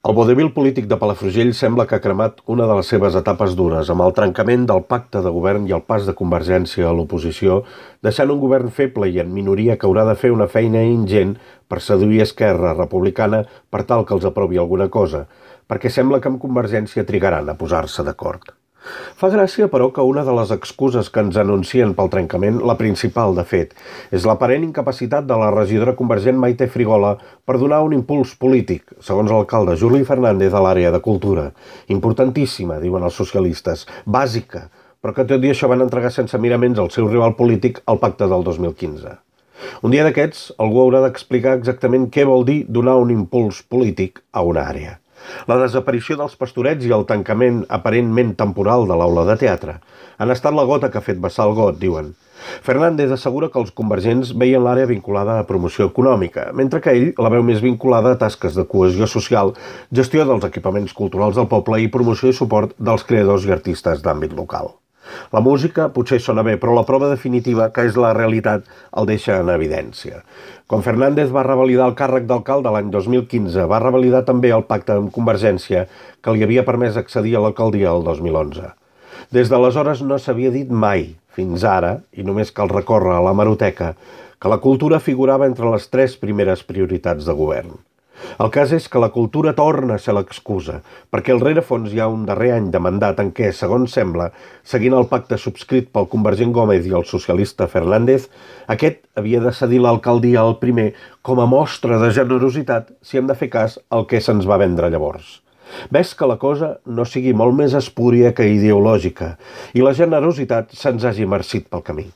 El vodevil polític de Palafrugell sembla que ha cremat una de les seves etapes dures, amb el trencament del pacte de govern i el pas de Convergència a l'oposició, deixant un govern feble i en minoria que haurà de fer una feina ingent per seduir Esquerra Republicana per tal que els aprovi alguna cosa, perquè sembla que amb Convergència trigaran a posar-se d'acord. Fa gràcia, però, que una de les excuses que ens anuncien pel trencament, la principal, de fet, és l'aparent incapacitat de la regidora convergent Maite Frigola per donar un impuls polític, segons l'alcalde Juli Fernández a l'àrea de cultura. Importantíssima, diuen els socialistes, bàsica, però que tot i això van entregar sense miraments al seu rival polític al pacte del 2015. Un dia d'aquests, algú haurà d'explicar exactament què vol dir donar un impuls polític a una àrea. La desaparició dels pastorets i el tancament aparentment temporal de l'aula de teatre han estat la gota que ha fet vessar el got, diuen. Fernández assegura que els convergents veien l'àrea vinculada a promoció econòmica, mentre que ell la veu més vinculada a tasques de cohesió social, gestió dels equipaments culturals del poble i promoció i suport dels creadors i artistes d'àmbit local. La música potser sona bé, però la prova definitiva, que és la realitat, el deixa en evidència. Quan Fernández va revalidar el càrrec d'alcalde l'any 2015, va revalidar també el pacte amb Convergència que li havia permès accedir a l'alcaldia el 2011. Des d'aleshores no s'havia dit mai, fins ara, i només cal recórrer a l'hemeroteca, que la cultura figurava entre les 3 primeres prioritats de govern. El cas és que la cultura torna a ser l'excusa, perquè al rerefons hi ha un darrer any de mandat en què, segons sembla, seguint el pacte subscrit pel convergent Gómez i el socialista Fernández, aquest havia de cedir l'alcaldia al primer com a mostra de generositat si hem de fer cas al que se'ns va vendre llavors. Ves que la cosa no sigui molt més espúria que ideològica i la generositat se'ns hagi marcit pel camí.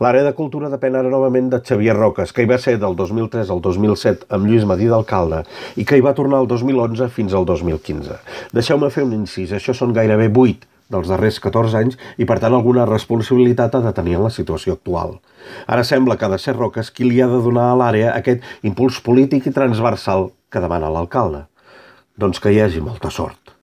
L'àrea de cultura depèn ara novament de Xavier Roques, que hi va ser del 2003 al 2007 amb Lluís Madí d'alcalde i que hi va tornar el 2011 fins al 2015. Deixeu-me fer un incís, això són gairebé 8 dels darrers 14 anys i per tant alguna responsabilitat ha de tenir en la situació actual. Ara sembla que ha de ser Roques qui li ha de donar a l'àrea aquest impuls polític i transversal que demana l'alcalde. Doncs que hi hagi molta sort.